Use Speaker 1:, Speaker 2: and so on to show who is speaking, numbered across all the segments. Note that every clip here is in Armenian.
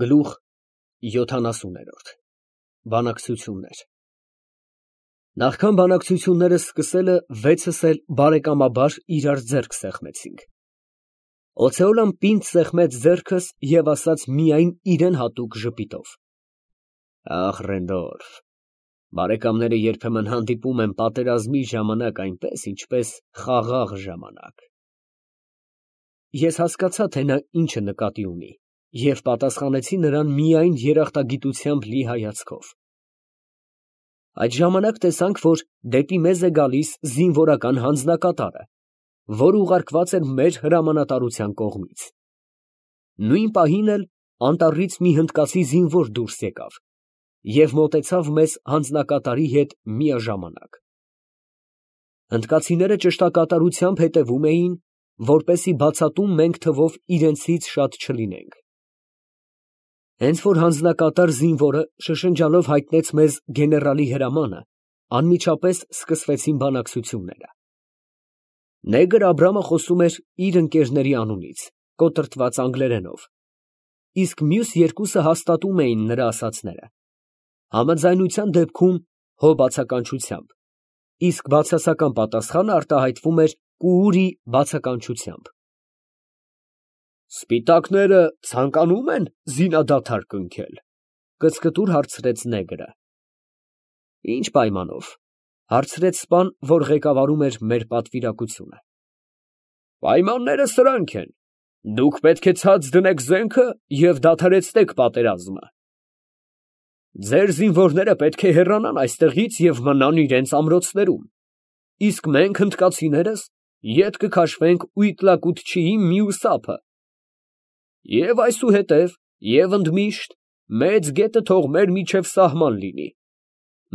Speaker 1: Գլուխ 70 Բանակցություններ Նախքան բանակցությունները սկսելը վեցս էլ բարեկամաբար իրար ձեռք սեղմեցինք։ Օցեոլան պինդ սեղմեց ձեռքս և ասաց միայն իրեն հատուկ ժպիտով. Ախ, Ռենդոլֆ, բարեկամները երբեմն հանդիպում են պատերազմի ժամանակ այնպես, ինչպես խաղաղ ժամանակ։ Ես հասկացա, թե նա ինչ նկատի ունի, և պատասխանեցի նրան միայն երախտագիտությամբ լի հայացքով։ Այդ ժամանակ տեսանք, որ դեպի մեզ է գալիս զինվորական հանձնակատարը, որ ուղարկված էր մեր հրամանատարության կողմից։ Նույն պահին էլ անտառից մի հնդկացի զինվոր դուրս եկավ և մոտեցավ մեզ հանձնակատարի հետ միաժամանակ։ Հնդկացիները ճշտակատարությամբ հետևում էին, որպեսզի բացատում մենք թվով իրենցից շատ չլինենք։ Հենց որ հանձնակատար զինվորը շշնջալով հայտնեց մեզ գեներալի հրամանը, անմիջապես սկսվեցին բանակցությունները։ Նեգր Աբրամը խոսում էր իր ընկերների անունից, կոտրտված անգլերենով, իսկ մյուս երկուսը հաստատում էին նրա ասածները, համաձայնության դեպքում հո բացականչությամբ, իսկ բացասական պատասխանը արտահայտվում էր կուուրի բացականչությամբ։ Սպիտակները ցանկանում են զինադադար կնքել, կծկտուր հարցրեց նեգրը։ Ինչ պայմանով, հարցրեց սպան, որ ղեկավարում էր մեր պատվիրակությունը։ Պայմանները սրանք են. դուք պետք է ցած դնեք զենքը և դադարեցնեք պատերազմը։ Ձեր զինվորները պետք է հեռանան այստեղից և մնան իրենց ամրոցներում, իսկ մենք հնդկացիներս ետ կքաշվենք Ուիտլակուտչիի մյուս ափը։ Եվ այսուհետև, և ընդմիշտ, մեծ գետը թող մեր միջև սահման լինի։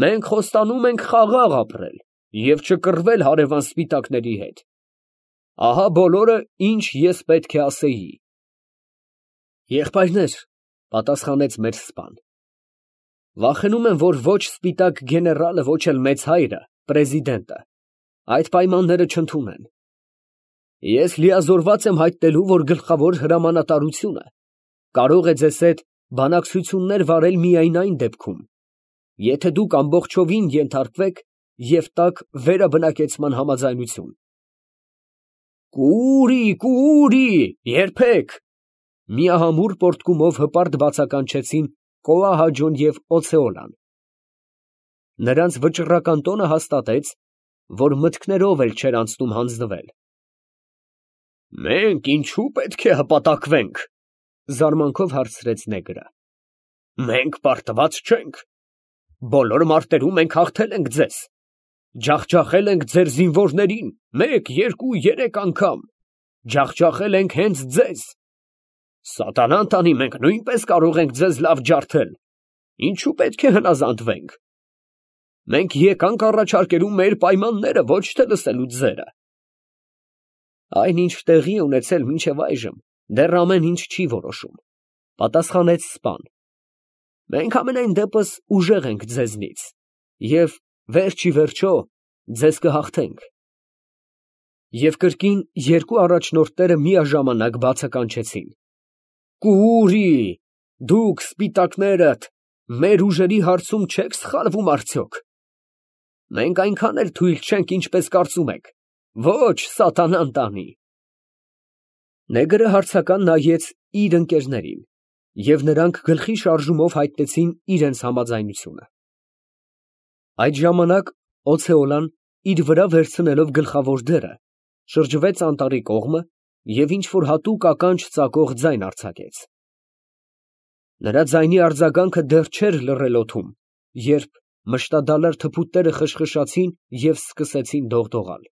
Speaker 1: Մենք խոստանում ենք խաղաղ ապրել և չկռվել հարևան սպիտակների հետ։ Ահա բոլորը, ինչ ես պետք է ասեի։ Եղբայրներ, պատասխանեց մեր սպան, վախենում եմ, որ ոչ սպիտակ գեներալը, ոչ էլ մեծ հայրը, պրեզիդենտը, այդ պայմանները չընդունեն։ Ես լիազորված եմ հայտնելու, որ գլխավոր հրամանատարությունը կարող է ձեզ հետ բանակցություններ վարել միայն այն դեպքում, եթե դուք ամբողջովին ենթարկվեք և տաք վերաբնակեցման համաձայնություն։ Կուուրի, երբեք, միահամուռ պոռթկումով հպարտ բացականչեցին Կոահաջոն և Օցեոլան։ Նրանց վճռական տոնը հաստատեց, որ մտքներով էլ չէր անցնում հանձնվել։ Մենք ինչու պետք է հպատակվենք, զարմանքով հարցրեց նեգրը։ Մենք պարտված չենք։ Բոլոր մարտերում մենք հաղթել ենք ձեզ։ Ջախջախել ենք ձեր զինվորներին 1, 2, 3 անգամ։ Ջախջախել ենք հենց ձեզ։ Սատանան տանի, մենք նույնպես կարող ենք ձեզ լավ ջարդել։ Ինչու պետք է հնազանդվենք։ Մենք եկանք առաջարկելու մեր պայմանները, ոչ թե լսելու ձերը։ Այն, ինչ տեղի է ունեցել մինչև այժմ, դեռ ամեն ինչ չի որոշում, պատասխանեց սպան։ Մենք ամենայն դեպս ուժեղ ենք ձեզնից և վերջիվերջո ձեզ կհաղթենք։ Եվ կրկին երկու առաջնորդները միաժամանակ բացականչեցին։ Կուուրի, դուք սպիտակներդ մեր ուժերի հարցում չեք սխալվում արդյոք։ Մենք այնքան էլ թույլ չենք, ինչպես կարծում եք։ Ոչ, սատանան տանի։ Նեգրը հարցական նայեց իր ընկերներին, և նրանք գլխի շարժումով հայտնեցին իրենց համաձայնությունը։ Այդ ժամանակ Օցեոլան, իր վրա վերցնելով գլխավոր դերը, շրջվեց անտառի կողմը և ինչ֊որ հատուկ ականջ ծակող ձայն արձակեց։ Նրա ձայնի արձագանքը դեռ չէր լռել օդում, երբ մշտադալար թփուտները խշխշացին և սկսեցին դողդողալ։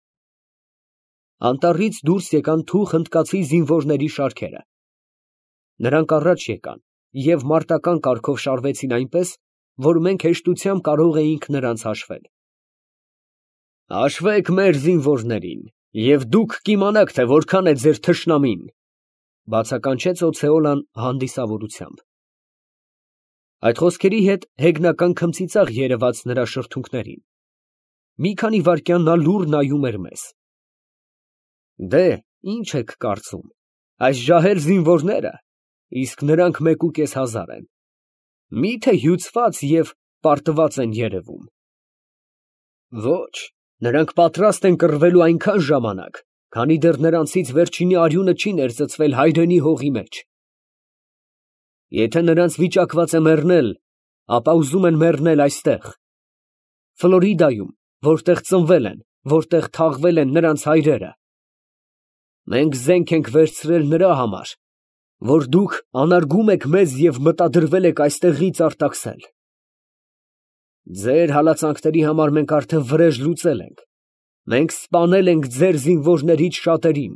Speaker 1: Անտառից դուրս եկան թուխ հնդկացի զինվորների շարքերը։ Նրանք առաջ եկան և մարտական կարգով շարվեցին այնպես, որ մենք հեշտությամբ կարող էինք նրանց հաշվել։ Հաշվեք մեր զինվորներին, և դուք կիմանաք, թե որքան է ձեր թշնամին, բացականչեց Օցեոլան հանդիսավորությամբ։ Այդ խոսքերի հետ հեգնական քմծիծաղ երևաց նրա շրթունքներին։ Մի քանի վայրկյան նա լուռ նայում էր մեզ։ Դե, ինչ եք կարծում, այս ջահել զինվորները իսկ նրանք 1,500 են։ Մի՞թե հյուծված և պարտված են երևում։ Ոչ, նրանք պատրաստ են կռվելու այնքան ժամանակ, քանի դեռ նրանցից վերջինի արյունը չի ներծծվել հայրենի հողի մեջ։ Եթե նրանց վիճակված է մեռնել, ապա ուզում են մեռնել այստեղ, Ֆլորիդայում, որտեղ ծնվել են, որտեղ թաղվել են նրանց հայրերը։ Մենք զենք ենք վերցրել նրա համար, որ դուք անարգում եք մեզ և մտադրվել եք այստեղից արտաքսել։ Ձեր հալածանքների համար մենք արդեն վրեժ լուծել ենք։ Մենք սպանել ենք ձեր զինվորներից շատերին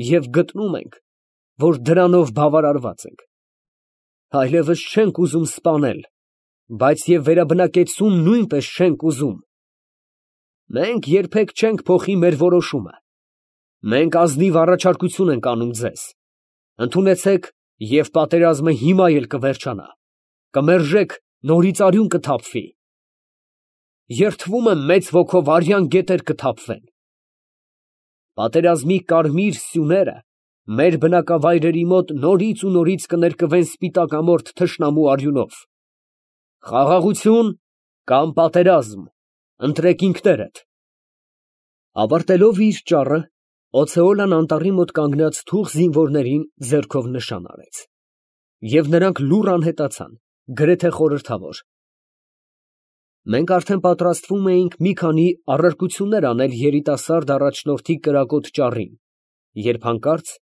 Speaker 1: և գտնում ենք, որ դրանով բավարարված ենք։ Այլևս չենք ուզում սպանել, բայց և վերաբնակեցում նույնպես չենք ուզում։ Մենք երբեք չենք փոխի մեր որոշումը։ Մենք ազնիվ առաջարկություն ենք անում ձեզ. ընդունեցեք և պատերազմը հիմա էլ կվերջանա, կմերժեք, նորից արյուն կթափվի։ Երդվում եմ մեծ ոգով արյան գետեր կթափվեն։ Պատերազմի կարմիր սյուները մեր բնակավայրերի մոտ նորից ու նորից կներկվեն սպիտակամորթ թշնամու արյունով։ Խաղաղություն կամ պատերազմ, ընտրեք ինքներդ։ Ավարտելով իր ճառը, Օցեոլան անտառի մոտ կանգնած թուղ զինվորներին ձեռքով նշան արեց, և նրանք լուռ անհետացան, գրեթե խորհրդավոր։ Մենք արդեն պատրաստվում էինք մի քանի առարկություններ անել երիտասարդ առաջնորդի կրակոտ ճառին, երբ հանկարծ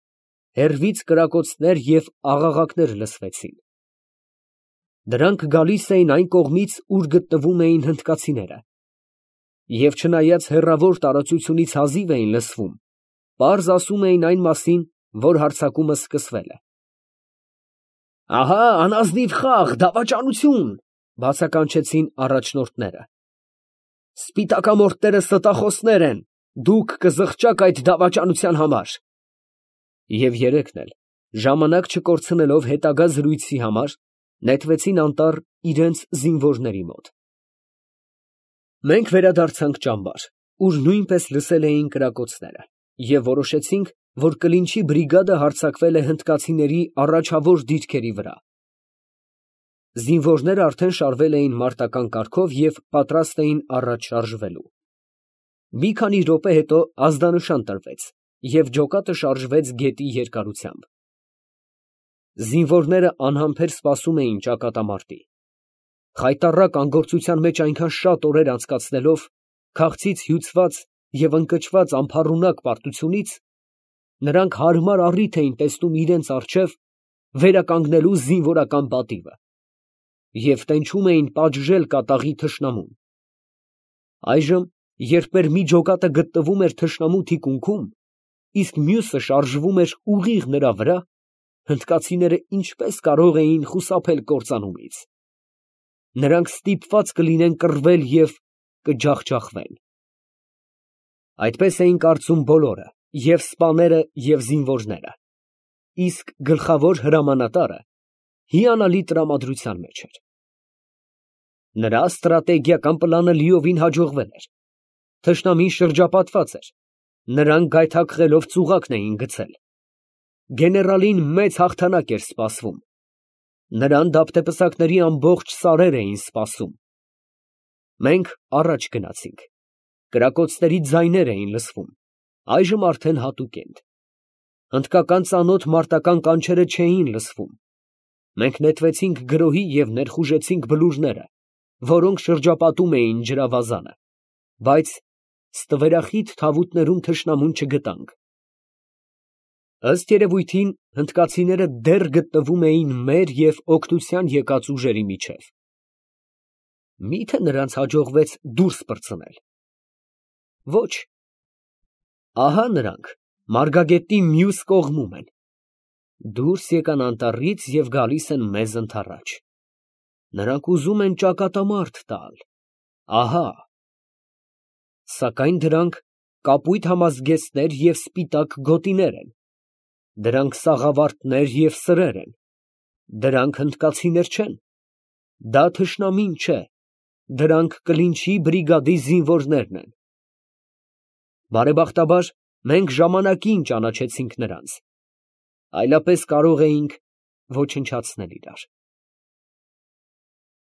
Speaker 1: հեռվից կրակոցներ և աղաղակներ լսվեցին։ Դրանք գալիս էին այն կողմից, ուր գտնվում էին հնդկացիները, և չնայած հեռավոր տարածությունից հազիվ էին լսվում, պարզ ասում էին այն մասին, որ հարձակումը սկսվել է։ Ահա անազնիվ խաղ, դավաճանություն, բացականչեցին առաջնորդները։ Սպիտակամորթները ստախոսներ են, դուք կզղջաք այդ դավաճանության համար։ Եվ երեքն էլ, ժամանակ չկորցնելով հետագա զրույցի համար, նետվեցին անտառ իրենց զինվորների մոտ։ Մենք վերադարձանք ճամբար, ուր նույնպես լսել էին կրակոցները, և որոշեցինք, որ Կլինչի բրիգադը հարձակվել է հնդկացիների առաջավոր դիրքերի վրա։ Զինվորները արդեն շարվել էին մարտական կարգով և պատրաստ էին առաջ շարժվելու։ Մի քանի րոպե հետո ազդանշան տրվեց, և ջոկատը շարժվեց գետի երկարությամբ։ Զինվորները անհամբեր սպասում էին ճակատամարտի։ Խայտառակ անգործության մեջ այնքան շատ օրեր անցկացնելով, քաղցից հյուծված և ընկճված ամփառունակ պարտությունից, նրանք հարմար առիթ էին տեսնում իրենց առջև վերականգնելու զինվորական պատիվը և տենչում էին պատժել կատաղի թշնամուն։ Այժմ, երբ մեր մի ջոկատը գտնվում էր թշնամու թիկունքում, իսկ մյուսը շարժվում էր ուղիղ նրա վրա, հնդկացիները ինչպես կարող էին խուսափել կործանումից։ Նրանք ստիպված կլինեն կռվել և կջախջախվեն։ Այդպես էին կարծում բոլորը, և սպաները, և զինվորները, իսկ գլխավոր հրամանատարը հիանալի տրամադրության մեջ էր։ Նրա ստրատեգիական պլանը լիովին հաջողվել էր։ Թշնամին շրջապատված էր, նրանք գայթակղելով ծուղակն էին գցել։ Գեներալին մեծ հաղթանակ էր սպասվում։ Նրան դափտեպսակների ամբողջ սարեր էին սպասում։ Մենք առաջ գնացինք։ Կրակոցների ձայներ էին լսվում, այժմ արդեն հատուկ են։ Հնդկական ծանոթ մարտական կանչերը չէին լսվում։ Մենք նետվեցինք գրոհի և ներխուժեցինք բլուրները, որոնք շրջապատում էին ջրավազանը, բայց ստվերախիտ թավուտներում թշնամուն չգտանք։ Ըստ երևույթին, հնդկացիները դեռ գտնվում էին մեր և օգնության եկած ուժերի միջև։ Մի՞թե նրանց հաջողվեց դուրս պրծնել։ Ոչ։ Ահա նրանք Մարգագետի մյուս կողմում են։ Դուրս եկան անտառից և գալիս են մեզ ընդառաջ։ Նրանք ուզում են ճակատամարտ տալ։ Ահա։ Սակայն դրանք կապույտ համազգեստներ և սպիտակ գոտիներ են։ Դրանք սաղավարտներ և սրեր են։ Դրանք հնդկացիներ չեն։ Դա թշնամին չէ։ Դրանք Կլինչի բրիգադի զինվորներն են։ Բարեբախտաբար, մենք ժամանակին ճանաչեցինք նրանց։ Այլապես կարող էինք Ոչնչացնել իրար։